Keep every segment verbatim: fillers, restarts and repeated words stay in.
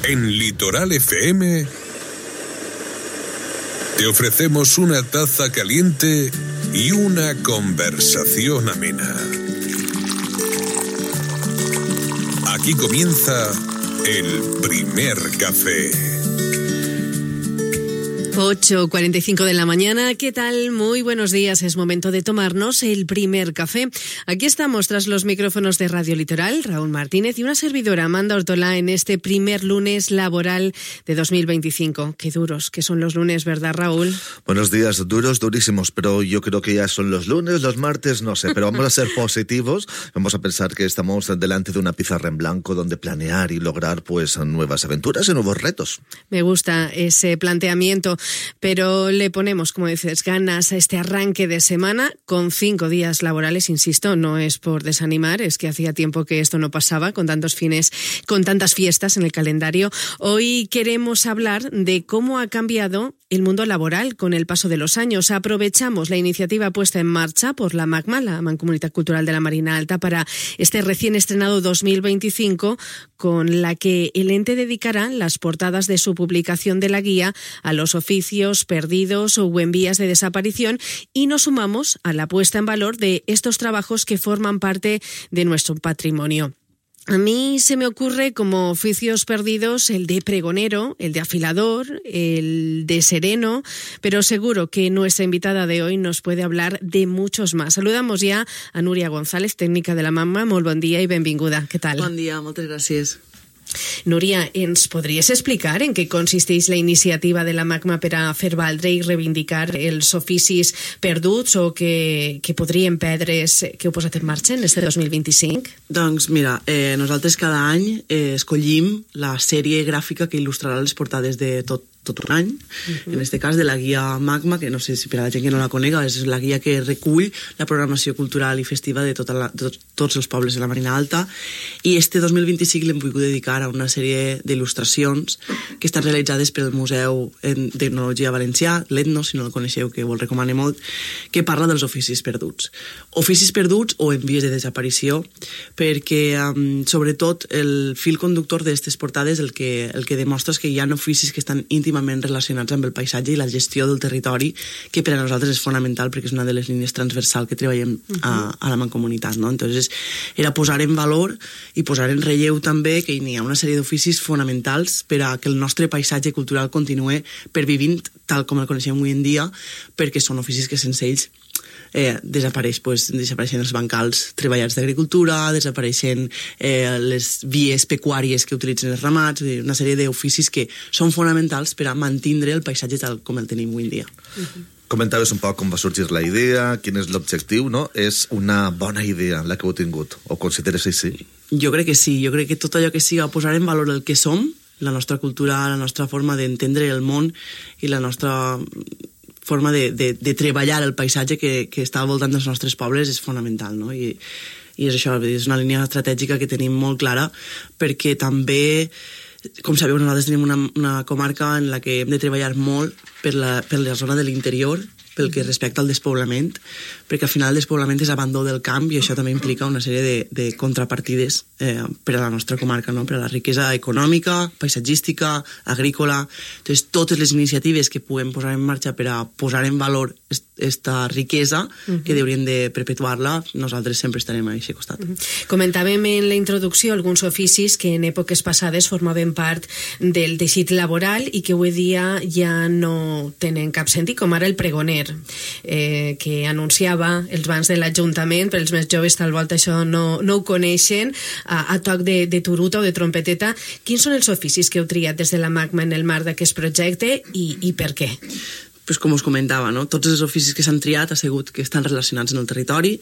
En Litoral F M te ofrecemos una taza caliente y una conversación amena. Aquí comienza el primer café. ocho cuarenta y cinco de la mañana, ¿qué tal? Muy buenos días, es momento de tomarnos el primer café. Aquí estamos tras los micrófonos de Radio Litoral, Raúl Martínez y una servidora, Amanda Ortola, en este primer lunes laboral de dos mil veinticinco. Qué duros que son los lunes, ¿verdad, Raúl? Buenos días, duros, durísimos, pero yo creo que ya son los lunes, los martes, no sé, pero vamos a ser positivos, vamos a pensar que estamos delante de una pizarra en blanco donde planear y lograr pues nuevas aventuras y nuevos retos. Me gusta ese planteamiento. Pero le ponemos, como dices, ganas a este arranque de semana con cinco días laborales, insisto, no es por desanimar, es que hacía tiempo que esto no pasaba con tantos fines, con tantas fiestas en el calendario. Hoy queremos hablar de cómo ha cambiado el mundo laboral con el paso de los años. Aprovechamos la iniciativa puesta en marcha por la MACMA, la Mancomunitat Cultural de la Marina Alta, para este recién estrenado dos mil veinticinco, con la que el ente dedicará las portadas de su publicación de la guía a los oficios perdidos o en vías de desaparición, y nos sumamos a la puesta en valor de estos trabajos que forman parte de nuestro patrimonio. A mí se me ocurre como oficios perdidos el de pregonero, el de afilador, el de sereno, pero seguro que nuestra invitada de hoy nos puede hablar de muchos más. Saludamos ja a Núria González, tècnica de la MACMA. Molt bon dia i benvinguda. Què tal? Bon dia, moltes gràcies. Núria, ¿ens podries explicar en què consisteix la iniciativa de la MACMA per a fer valdre i reivindicar els oficis perduts o que, que podrien perdre's, que heu posat en marxa en este dos mil vint-i-cinc? Doncs mira, eh, nosaltres cada any eh, escollim la sèrie gràfica que il·lustrarà les portades de tot tot un any, uh-huh. En este cas de la guia MACMA, que no sé si per a la gent que no la conega, és la guia que recull la programació cultural i festiva de, tota la, de tot, tots els pobles de la Marina Alta, i este dos mil vint-i-cinc l'hem volgut dedicar a una sèrie d'il·lustracions que estan realitzades pel Museu d'Etnologia Valencià, l'Etno, si no el coneixeu, que vos recomano molt, que parla dels oficis perduts. Oficis perduts o en vies de desaparició, perquè um, sobretot el fil conductor d'aquestes portades el que, el que demostra és que hi ha oficis que estan íntimament relacionats amb el paisatge i la gestió del territori, que per a nosaltres és fonamental perquè és una de les línies transversals que treballem a, a la mancomunitat, no? Entonces, era posar en valor i posar en relleu també que hi ha una sèrie d'oficis fonamentals per a que el nostre paisatge cultural continue pervivint tal com el coneixem avui en dia, perquè són oficis que sense ells Eh, desapareix, pues, desapareixen els bancals treballats d'agricultura, desapareixen eh, les vies pecuàries que utilitzen els ramats, una sèrie d'oficis que són fonamentals per a mantindre el paisatge tal com el tenim avui en dia. Uh-huh. Comentaves un poc com va sorgir la idea, quin és l'objectiu, no? És una bona idea la que heu tingut, o consideres així? Jo crec que sí, jo crec que tot allò que siga posar en valor el que som, la nostra cultura, la nostra forma d'entendre el món i la nostra forma de, de, de treballar el paisatge que, que està al voltant dels nostres pobles és fonamental, no? I, i és això, és una línia estratègica que tenim molt clara, perquè també, com sabeu, nosaltres tenim una, una comarca en la que hem de treballar molt per la, per la zona de l'interior, pel que respecta al despoblament, perquè al final el despoblament és abandó del camp i això també implica una sèrie de, de contrapartides eh, per a la nostra comarca, no? Per a la riquesa econòmica, paisatgística, agrícola. Entonces, totes les iniciatives que puguem posar en marxa per a posar en valor esta riquesa, uh-huh. que haurien de perpetuar-la, nosaltres sempre estarem a aquest costat. Uh-huh. Comentàvem en la introducció alguns oficis que en èpoques passades formaven part del teixit laboral i que avui dia ja no tenen cap sentit, com ara el pregoner, eh, que anunciava els bans de l'Ajuntament, per als més joves tal volta això no, no ho coneixen, a, a toc de, de turuta o de trompeteta. Quins són els oficis que heu triat des de la MACMA en el marc d'aquest projecte i, i per què? pues, com us comentava, no? Tots els oficis que s'han triat ha sigut que estan relacionats en el territori.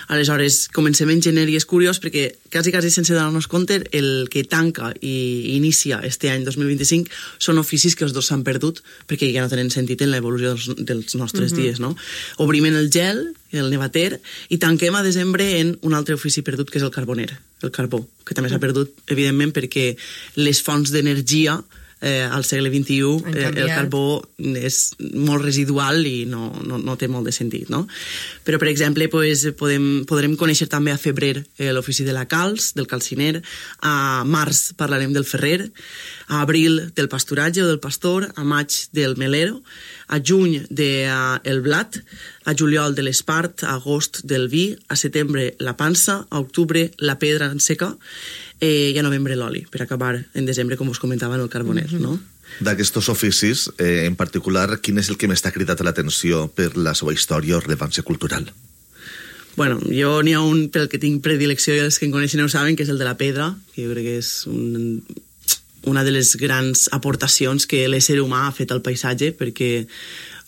Aleshores, comencem en gener i és curiós perquè quasi, quasi sense donar-nos compte, el que tanca i inicia este any dos mil vint-i-cinc són oficis que els dos s'han perdut perquè ja no tenen sentit en l'evolució dels, dels nostres uh-huh. dies, no? Obrim en el gel, el nevater, i tanquem a desembre en un altre ofici perdut que és el carboner, el carbó, que també s'ha perdut, evidentment, perquè les fonts d'energia eh, al segle vint-i-u eh, el carbó és molt residual i no, no, no té molt de sentit, no? Però, per exemple, pues, podem, podrem conèixer també a febrer eh, l'ofici de la calç, del calciner, a març parlarem del ferrer, a abril del pasturatge o del pastor, a maig del melero, a juny del de, uh, blat, a juliol de l'espart, a agost del vi, a setembre la pansa, a octubre la pedra en seca eh, i a novembre l'oli, per acabar en desembre, com us comentava, en el carboner, mm-hmm. no? D'aquests oficis, eh, en particular, quin és el que m'està cridat l'atenció per la seva història o rellevància cultural? Bueno, jo n'hi ha un pel que tinc predilecció i els que em coneixen ho saben, que és el de la pedra, que jo crec que és un, una de les grans aportacions que l'ésser humà ha fet al paisatge, perquè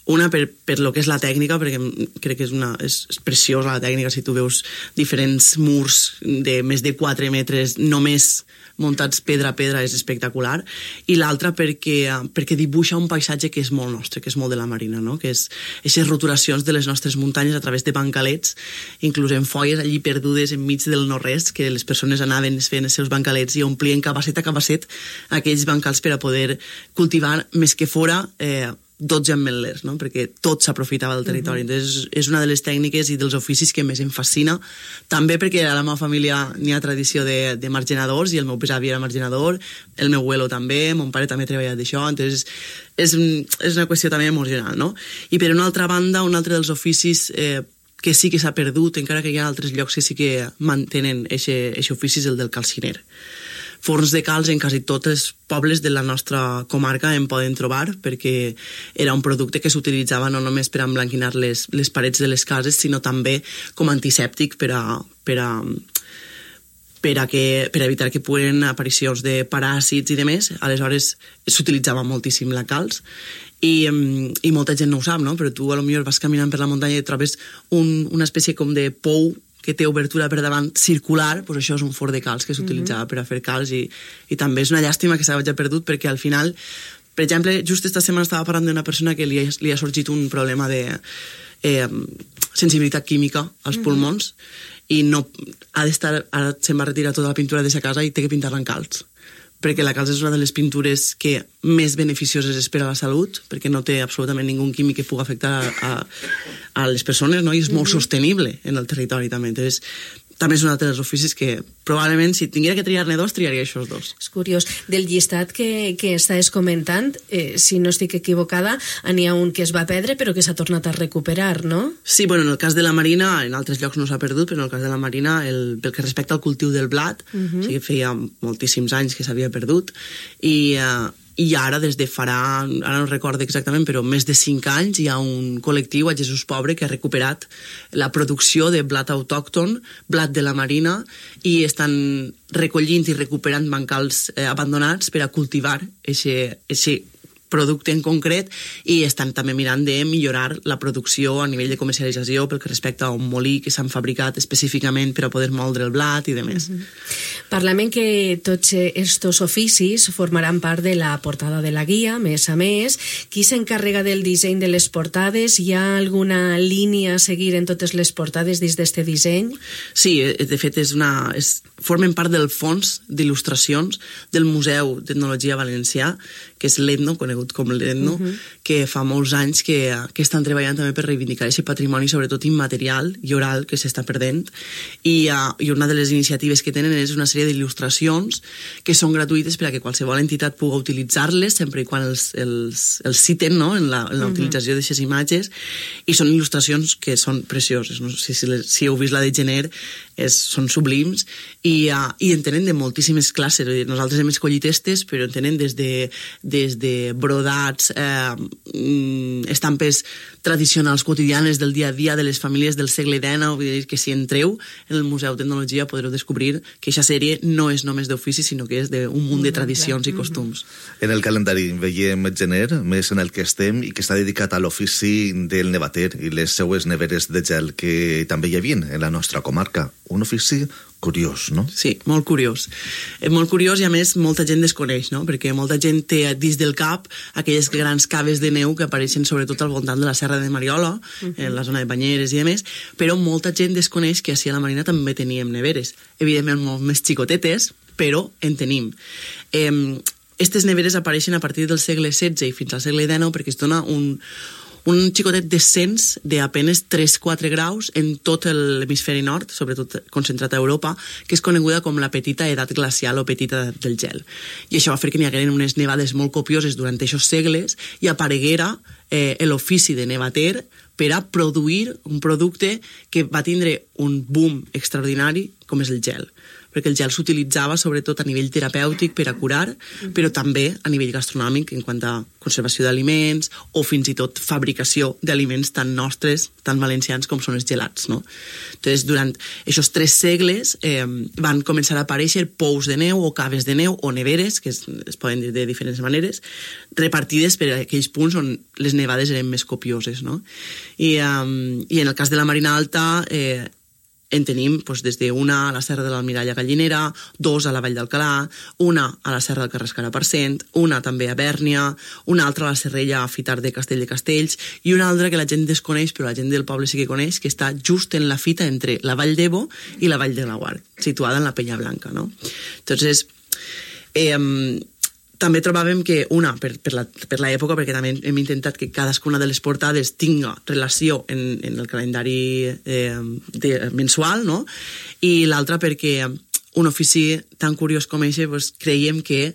una per, per lo que és la tècnica, perquè crec que és, una, és, és preciosa la tècnica, si tu veus diferents murs de més de quatre metres només muntats pedra a pedra, és espectacular, i l'altra perquè, perquè dibuixa un paisatge que és molt nostre, que és molt de la Marina, no? Que és aquestes roturacions de les nostres muntanyes a través de bancalets, inclús en folles allí perdudes enmig del no-res, que les persones anaven fent els seus bancalets i omplien cabasset a cabasset aquells bancals per a poder cultivar més que fora eh, dotze ametlers, no? Perquè tot s'aprofitava del territori. Uh-huh. Entonces, és una de les tècniques i dels oficis que més em fascina, també perquè a la meva família n'hi ha tradició de, de margenadors, i el meu besavi era margenador, el meu abuelo també, mon pare també ha treballat d'això, entonces és, és una qüestió també emocional, no? I per una altra banda, un altre dels oficis eh, que sí que s'ha perdut, encara que hi ha altres llocs que sí que mantenen aquest ofici, és el del calciner. Forns de calç en quasi tots els pobles de la nostra comarca en poden trobar, perquè era un producte que s'utilitzava no només per emblanquinar les, les parets de les cases, sinó també com antisèptic per a, per a, per a, que, per a evitar que puguen aparicions de paràsits i demés. Aleshores s'utilitzava moltíssim la calç i, i molta gent no ho sap, no? Però tu a lo millor vas caminant per la muntanya i trobes un, una espècie com de pou que té obertura per davant circular, doncs això és un forn de calç que s'utilitzava mm-hmm. per a fer calç, i, i també és una llàstima que s'hagi perdut, perquè al final, per exemple, just esta setmana estava parlant d'una persona que li ha, li ha sorgit un problema de eh, sensibilitat química als mm-hmm. pulmons, i no ha d'estar, ara se'n va retirar tota la pintura de sa casa i té que pintar-la en calç, perquè la calç és una de les pintures que més beneficioses és per a la salut, perquè no té absolutament ningú químic que pugui afectar a, a, a les persones, no? I és molt sostenible en el territori també. Entonces, també és un altre dels oficis que probablement, si tinguera que triar-ne dos, triaria aquests dos. És curiós. Del llistat que, que estàs comentant, eh, si no estic equivocada, n'hi ha un que es va perdre però que s'ha tornat a recuperar, no? Sí, bueno, en el cas de la Marina, en altres llocs no s'ha perdut, però en el cas de la Marina, el, pel que respecta al cultiu del blat, uh-huh. sí que feia moltíssims anys que s'havia perdut, i... Eh, i ara, des de farà, ara no recordo exactament, però més de cinc anys, hi ha un col·lectiu a Jesús Pobre que ha recuperat la producció de blat autòcton, blat de la Marina, i estan recollint i recuperant bancals eh, abandonats per a cultivar aquest producte en concret, i estan també mirant de millorar la producció a nivell de comercialització pel que respecta a un molí que s'han fabricat específicament per a poder moldre el blat i demés. Mm-hmm. Parlem que tots estos oficis formaran part de la portada de la guia, més a més. Qui s'encarrega del disseny de les portades? Hi ha alguna línia a seguir en totes les portades dins d'este disseny? Sí, de fet és una, és, formen part del fons d'il·lustracions del Museu d'Etnologia Valencià, que és l'Etno, conegut com l'Etno, uh-huh. que fa molts anys que, que estan treballant també per reivindicar aquest patrimoni, sobretot immaterial i oral, que s'està perdent, i, uh, i una de les iniciatives que tenen és una sèrie d'il·lustracions que són gratuïtes per a que qualsevol entitat pugui utilitzar-les, sempre i quan els, els, els citen, no?, en la, en la uh-huh. utilització d'aquestes imatges, i són il·lustracions que són precioses. No sé si, les, si heu vist la de Gener, és, són sublims, i, uh, i en tenen de moltíssimes classes. Nosaltres hem escollit estes, però en tenen des de, des de brodats, eh, estampes tradicionals quotidianes del dia a dia de les famílies del segle dinou, vull dir que si entreu en el Museu d'Etnologia podreu descobrir que aquesta sèrie no és només d'ofici, sinó que és d'un munt de tradicions i costums. En el calendari veiem Gener, més en el que estem, i que està dedicat a l'ofici del nevater i les seues neveres de gel que també hi havia en la nostra comarca. Un ofici curiós, no? Sí, molt curiós. És molt curiós i, a més, molta gent desconeix, no? Perquè molta gent té dins del cap aquelles grans caves de neu que apareixen sobretot al voltant de la Serra de Mariola, uh-huh. en la zona de Banyeres i demés, però molta gent desconeix que així a la Marina també teníem neveres. Evidentment molt més xicotetes, però en tenim. Eh, aquestes neveres apareixen a partir del segle setze i fins al segle dinou perquè es dona un, un xicotet descens d'apenes tres a quatre graus en tot l'hemisferi nord, sobretot concentrat a Europa, que és coneguda com la petita edat glacial o petita edat del gel. I això va fer que n'hi hagueren unes nevades molt copioses durant aquests segles i apareguera eh, l'ofici de nevater per a produir un producte que va tindre un boom extraordinari com és el gel, perquè el gel s'utilitzava sobretot a nivell terapèutic per a curar, però també a nivell gastronòmic en quant a conservació d'aliments o fins i tot fabricació d'aliments tan nostres, tan valencians com són els gelats, no? Entonces, durant aquests tres segles eh, van començar a aparèixer pous de neu o caves de neu o neveres, que es, es poden dir de diferents maneres, repartides per aquells punts on les nevades eren més copioses, no? I, um, i en el cas de la Marina Alta eh, en tenim doncs, des d'una a la Serra de l'Almirall a Gallinera, dos a la Vall d'Alcalà, una a la Serra del Carrascar a Parcent, una també a Bèrnia, una altra a la Serrella a Fitar de Castell de Castells i una altra que la gent desconeix, però la gent del poble sí que coneix, que està just en la fita entre la Vall d'Ebo i la Vall de Laguar, situada en la Penya Blanca, no? Entonces, eh, també trobàvem que, una, per, per, la, per l'època, perquè també hem intentat que cadascuna de les portades tinga relació en, en el calendari eh, de, mensual, no? I l'altra perquè un ofici tan curiós com aquest pues, creiem que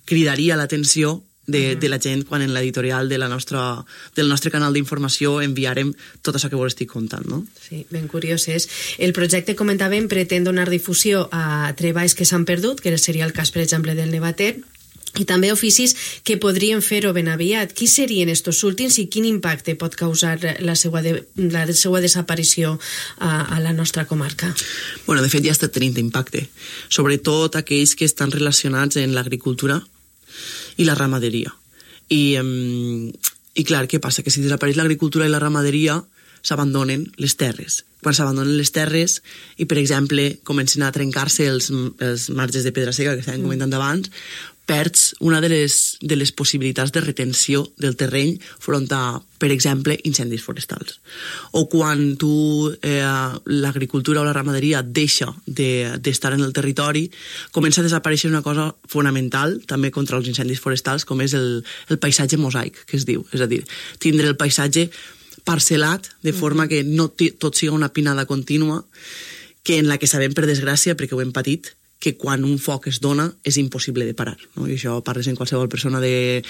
cridaria l'atenció de, uh-huh. de la gent quan en l'editorial de la nostra, del nostre canal d'informació enviarem tot això que vos estic contant, no? Sí, ben curiós és. El projecte, comentàvem, pretén donar difusió a treballs que s'han perdut, que seria el cas, per exemple, del nevater, i també oficis que podrien fer-ho ben aviat. Qui serien estos últims i quin impacte pot causar la seva, de, la seva desaparició a, a la nostra comarca? Bueno, de fet ja està tenint impacte, sobretot aquells que estan relacionats en l'agricultura i la ramaderia. I, um, i clar, què passa? Que si desapareix l'agricultura i la ramaderia s'abandonen les terres. Quan s'abandonen les terres i, per exemple, comencen a trencar-se els, els marges de pedra seca que estàvem comentant abans, perds una de les, de les possibilitats de retenció del terreny front a, per exemple, incendis forestals. O quan tu, eh, l'agricultura o la ramaderia deixa de, d'estar en el territori, comença a desaparèixer una cosa fonamental, també contra els incendis forestals, com és el, el paisatge mosaic, que es diu. És a dir, tindre el paisatge parcel·lat, de forma que no t- tot siga una pinada contínua, que en la que sabem, per desgràcia, perquè ho hem patit, que quan un foc es dona és impossible de parar, no? I això parles en qualsevol persona de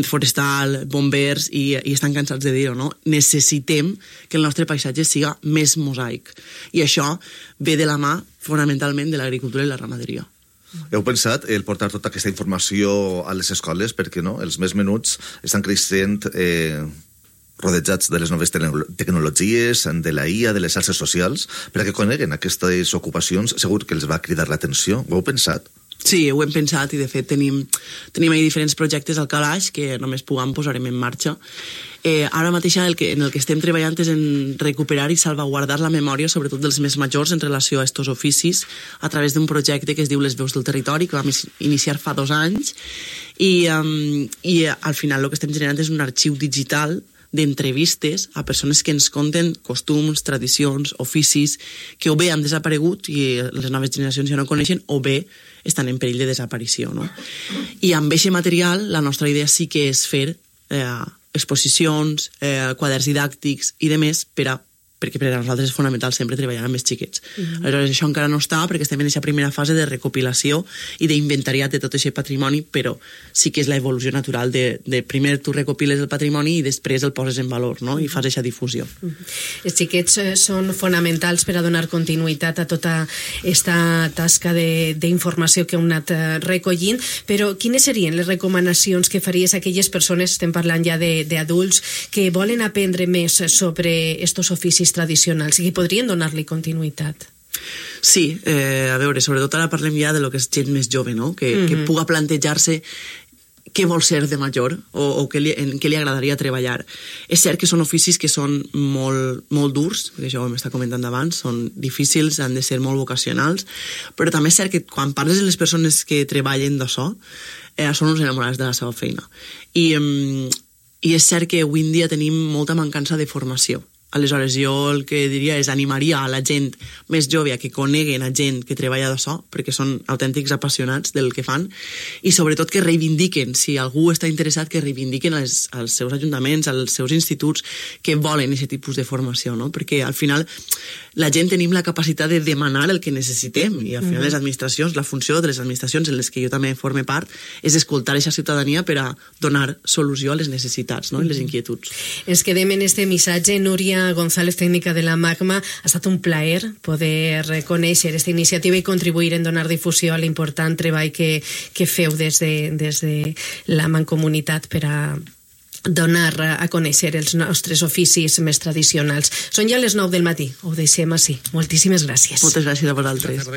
forestal, bombers, i, i estan cansats de dir-ho, no? Necessitem que el nostre paisatge siga més mosaic. I això ve de la mà, fonamentalment, de l'agricultura i la ramaderia. Heu pensat el portar tota aquesta informació a les escoles? Perquè no? Els més menuts estan creixent eh, rodejats de les noves tecnologies, de la I A, de les xarxes socials, perquè coneguen aquestes ocupacions, segur que els va cridar l'atenció. Ho heu pensat? Sí, ho hem pensat i de fet tenim, tenim ahí diferents projectes al calaix que només puguem posarem en marxa. Eh, ara mateix el que, en el que estem treballant és en recuperar i salvaguardar la memòria, sobretot dels més majors, en relació a estos oficis, a través d'un projecte que es diu Les Veus del Territori, que vam iniciar fa dos anys, i, um, i al final el que estem generant és un arxiu digital d'entrevistes a persones que ens conten costums, tradicions, oficis que o bé han desaparegut i les noves generacions ja no coneixen o bé estan en perill de desaparició, no? I amb aquest material la nostra idea sí que és fer eh, exposicions, eh, quaderns didàctics i de més per a perquè per a nosaltres és fonamental sempre treballar amb els xiquets. Mm-hmm. Aleshores, això encara no està perquè estem en aquesta primera fase de recopilació i d'inventariat de tot aquest patrimoni, però sí que és la evolució natural de, de primer tu recopiles el patrimoni i després el poses en valor, no? I fas aquesta difusió. Mm-hmm. Els xiquets eh, són fonamentals per a donar continuïtat a tota aquesta tasca d'informació que hem anat eh, recollint, però quines serien les recomanacions que faries a aquelles persones, estem parlant ja d'adults, que volen aprendre més sobre estos oficis tradicionals i que podrien donar-li continuïtat? Sí, eh, a veure, sobretot ara parlem ja de lo que és gent més jove, no? Que, mm-hmm. que puga plantejar-se què vol ser de major o, o què li, en què li agradaria treballar. És cert que són oficis que són molt, molt durs, perquè això ho hem estat comentant abans, són difícils, han de ser molt vocacionals, però també és cert que quan parles de les persones que treballen d'això, eh, són uns enamorats de la seva feina. I, eh, i és cert que avui en dia tenim molta mancança de formació Aleshores, jo el que diria és animaria a la gent més jove a que coneguen a gent que treballa d'això, perquè són autèntics apassionats del que fan, i sobretot que reivindiquen, si algú està interessat, que reivindiquen als, als seus ajuntaments, als seus instituts, que volen aquest tipus de formació, no? Perquè al final la gent tenim la capacitat de demanar el que necessitem, i al final les administracions, la funció de les administracions en les que jo també forme part, és escoltar aquesta ciutadania per a donar solució a les necessitats, no? I les inquietuds. Ens quedem en este missatge. Núria González, tècnica de la Magma, ha estat un plaer poder conèixer aquesta iniciativa i contribuir en donar difusió a l'important treball que, que feu des de, des de la Mancomunitat per a donar a conèixer els nostres oficis més tradicionals. Són ja les nou del matí, ho deixem així. Moltíssimes gràcies. Moltes gràcies a vosaltres.